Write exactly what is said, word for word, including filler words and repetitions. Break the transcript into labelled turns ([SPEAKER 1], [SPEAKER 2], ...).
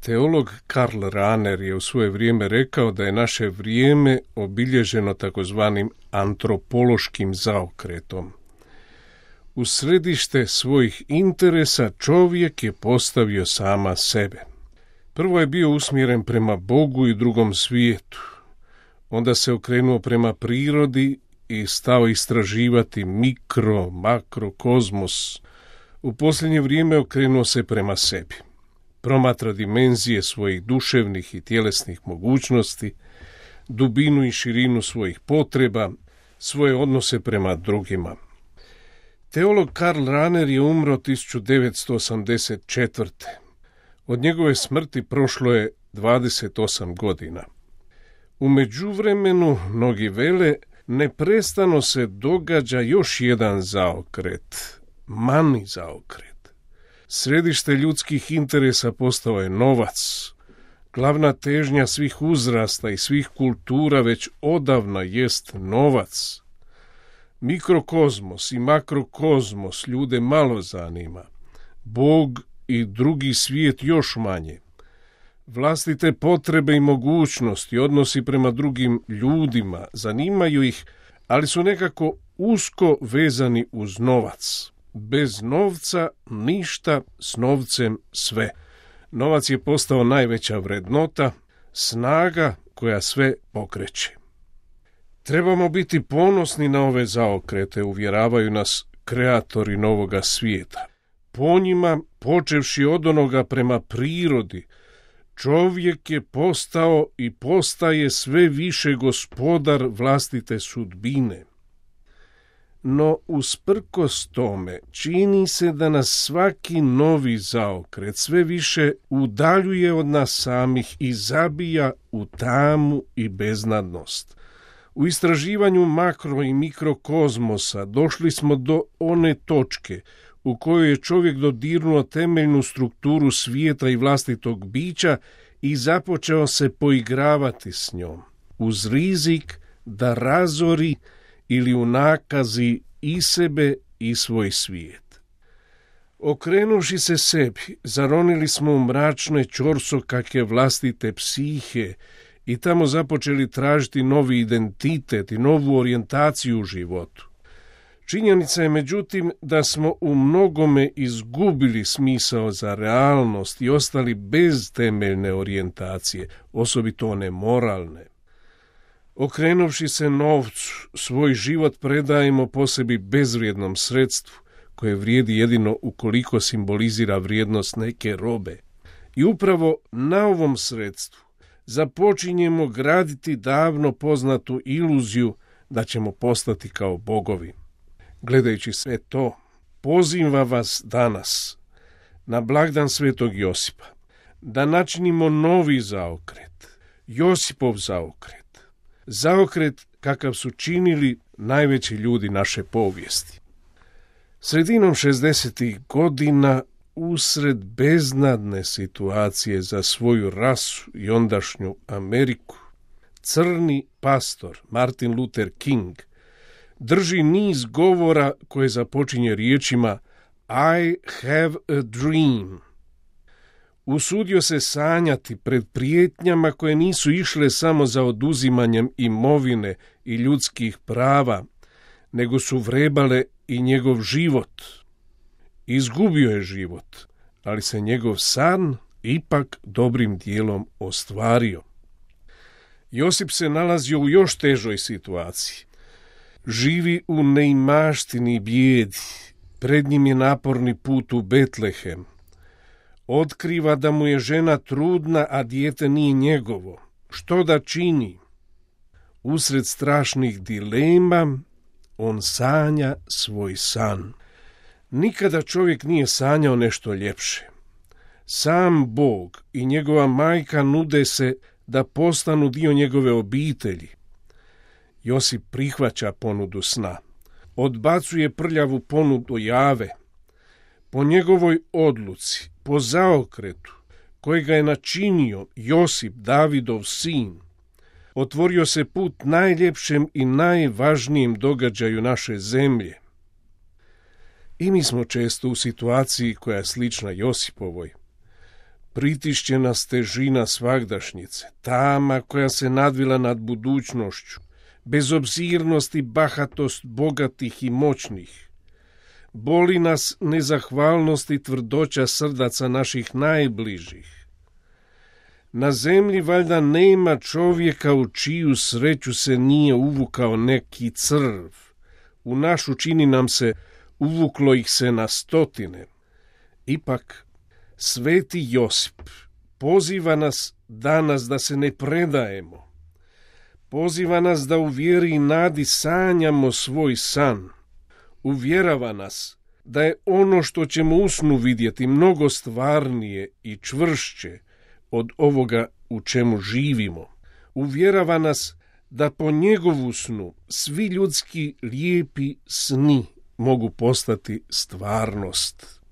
[SPEAKER 1] Teolog Karl Rahner je u svoje vrijeme rekao da je naše vrijeme obilježeno takozvanim antropološkim zaokretom. U središte svojih interesa čovjek je postavio sama sebe. Prvo je bio usmjeren prema Bogu i drugom svijetu. Onda se okrenuo prema prirodi i stao istraživati mikro, makro, kozmos. U posljednje vrijeme okrenuo se prema sebi. Promatra dimenzije svojih duševnih i tjelesnih mogućnosti, dubinu i širinu svojih potreba, svoje odnose prema drugima. Teolog Karl Rahner je umro tisuću devetsto osamdeset četvrte. Od njegove smrti prošlo je dvadeset osam godina. U međuvremenu, mnogi vele, neprestano se događa još jedan zaokret, mani zaokret. Središte ljudskih interesa postao je novac. Glavna težnja svih uzrasta i svih kultura već odavna jest novac. Mikrokozmos i makrokozmos ljude malo zanima. Bog i drugi svijet još manje. Vlastite potrebe i mogućnosti, odnosi prema drugim ljudima zanimaju ih, ali su nekako usko vezani uz novac. Bez novca ništa, s novcem sve. Novac je postao najveća vrednota, snaga koja sve pokreće. Trebamo biti ponosni na ove zaokrete, uvjeravaju nas kreatori novoga svijeta. Po njima, počevši od onoga prema prirodi, čovjek je postao i postaje sve više gospodar vlastite sudbine. No, usprkos tome, čini se da nas svaki novi zaokret sve više udaljuje od nas samih i zabija u tamu i beznadnost. U istraživanju makro i mikrokozmosa došli smo do one točke u kojoj je čovjek dodirnuo temeljnu strukturu svijeta i vlastitog bića i započeo se poigravati s njom, uz rizik da razori ili unakazi i sebe i svoj svijet. Okrenuši se sebi, zaronili smo u mračne ćorsokake vlastite psihe i tamo započeli tražiti novi identitet i novu orijentaciju u životu. Činjenica je međutim da smo u mnogome izgubili smisao za realnost i ostali bez temeljne orijentacije, osobito one moralne. Okrenuvši se novcu, svoj život predajemo po sebi bezvrijednom sredstvu, koje vrijedi jedino ukoliko simbolizira vrijednost neke robe. I upravo na ovom sredstvu započinjemo graditi davno poznatu iluziju da ćemo postati kao bogovi. Gledajući sve to, pozivam vas danas, na blagdan Svetog Josipa, da načinimo novi zaokret, Josipov zaokret. Zaokret kakav su činili najveći ljudi naše povijesti. Sredinom šezdesetih godina, usred beznadne situacije za svoju rasu i ondašnju Ameriku, crni pastor Martin Luther King drži niz govora koje započinje riječima I have a dream. Usudio se sanjati pred prijetnjama koje nisu išle samo za oduzimanjem imovine i ljudskih prava, nego su vrebale i njegov život. Izgubio je život, ali se njegov san ipak dobrim dijelom ostvario. Josip se nalazio u još težoj situaciji. Živi u neimaštini i bijedi, pred njim je naporni put u Betlehem. Otkriva da mu je žena trudna, a dijete nije njegovo. Što da čini? Usred strašnih dilema, on sanja svoj san. Nikada čovjek nije sanjao nešto ljepše. Sam Bog i njegova majka nude se da postanu dio njegove obitelji. Josip prihvaća ponudu sna. Odbacuje prljavu ponudu jave. Po njegovoj odluci, po zaokretu, kojega je načinio Josip, Davidov sin, otvorio se put najljepšem i najvažnijem događaju naše zemlje. I mi smo često u situaciji koja je slična Josipovoj. Pritišće nas težina svagdašnjice, tama koja se nadvila nad budućnošću, bezobzirnost i bahatost bogatih i moćnih. Boli nas nezahvalnost i tvrdoća srdaca naših najbližih. Na zemlji valjda nema čovjeka u čiju sreću se nije uvukao neki crv. U našu čini nam se uvuklo ih se na stotine. Ipak, sveti Josip poziva nas danas da se ne predajemo. Poziva nas da u vjeri i nadi sanjamo svoj san. Uvjerava nas da je ono što ćemo u snu vidjeti mnogo stvarnije i čvršće od ovoga u čemu živimo. Uvjerava nas da po njegovu snu svi ljudski lijepi sni mogu postati stvarnost.